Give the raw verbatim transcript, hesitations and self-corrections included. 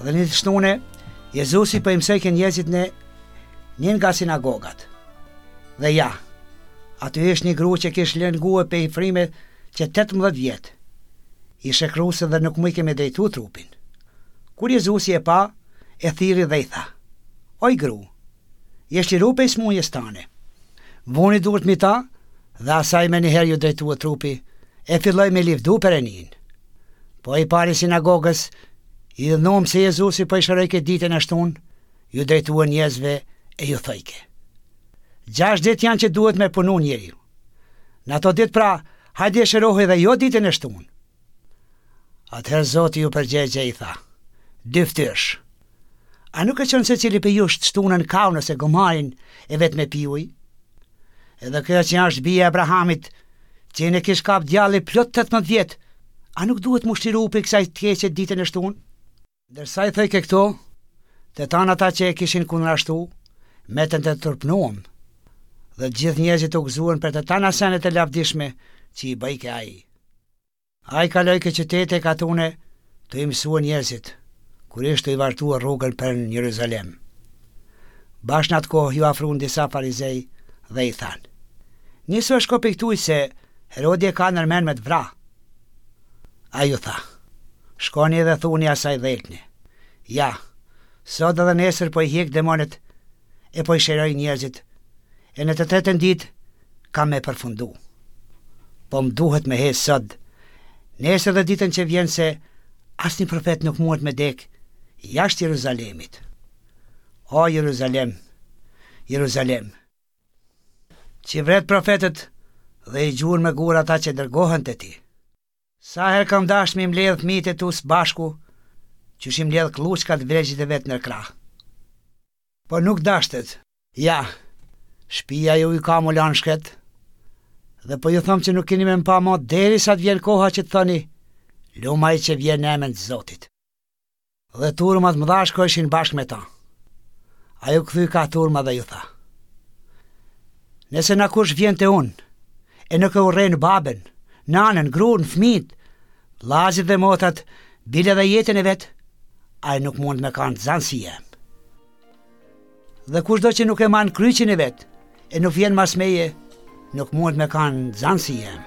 Dhe një të shtune, Jezusi po i mësojke njerëzit në një nga sinagogat. Dhe ja, aty ish një gru që kish lëngue pe i frime që tetëmbëdhjetë vjet. Ish e kruse dhe nuk mujke me drejtu trupin. Kur Jezusi e pa, e thirri dhe i tha: Oj gru, je shliru pej smunjes tane. Vuni durt mi ta, dhe asaj menjëherë ju drejtua trupi, e filloi me livdu Perëninë. Po i pari sinagogës, i idhnom se Jezusi po i shërojke ditën e shtunë, ju drejtua njerëzve e ju thojke: Gjashtë ditë janë që duhet me punu njeriu. Në ato ditë pra, hajde e shërohej dhe jo ditën e shtunë. Atëherë Zoti ju përgjegje i tha: Dy ftyrsh. A nuk e qënë se cili për jush të shtunën kaun ose gomarin e vetë me piuj? Edhe kjo që është bija e Abrahamit, që ne kish kap djalli plot tetëmbëdhjetë vjet, a nuk duhet mu shliru për kësaj të keqe ditën e shtunë? Ndërsa i thojke këto, të tanë ata që e kishin kundërashtu, metën të turpnuam, dhe të gjithë njerëzit u gëzuan për të tana senet e lavdishme që i bëjke ai. Ai kaloi ke qytete e katune të i mësua njerëzit, kur ishte i vazhduar rrugën për në Jeruzalem. Bash në atë kohë ju afruan disa farizej dhe i thanë: Nisu e shko për këtuj se Herodi e ka nërmen me të vra. Ai ju tha: Shkoni dhe thuni asaj dhelpne: Ja, sot edhe nesër po i hjek demonët e po i shëroj njerëzit, e në të tretën ditë kam me përfundu. Po më duhet me hes sot, nesër dhe ditën që vjen, se asnjë profet nuk muhet me dek jashtë Jeruzalemit. O Jeruzalem, Jeruzalem, që vret profetët dhe i gjurë me gurë ata që dërgohen të ti. Sa herë kam dashtë mi mbledh fëmijët e tu së bashku, qysh i mbledh klluçkat vregjit e vet në krah. Po nuk dashtet. Ja, shtëpia ju i ka mu lanë shkret, dhe po ju thom që nuk keni me më pa mo derisa të vjen koha që të thoni: Lum ai që vjen në emër të Zotit. Dhe turmat mëdha shkojshin bashkë me ta. Ai u kthy ka turma dhe ju tha: Nëse na kush vjen te unë, e nuk e urren babën, nanën, gruan, fëmijët, vllazit dhe motrat, bile dhe jetën e vet, ai nuk mund me kanë nxënësi jem. Dhe kushdo që nuk e man kryqin e vet, e nuk vjen mas meje, nuk mund me kanë nxënësi jem.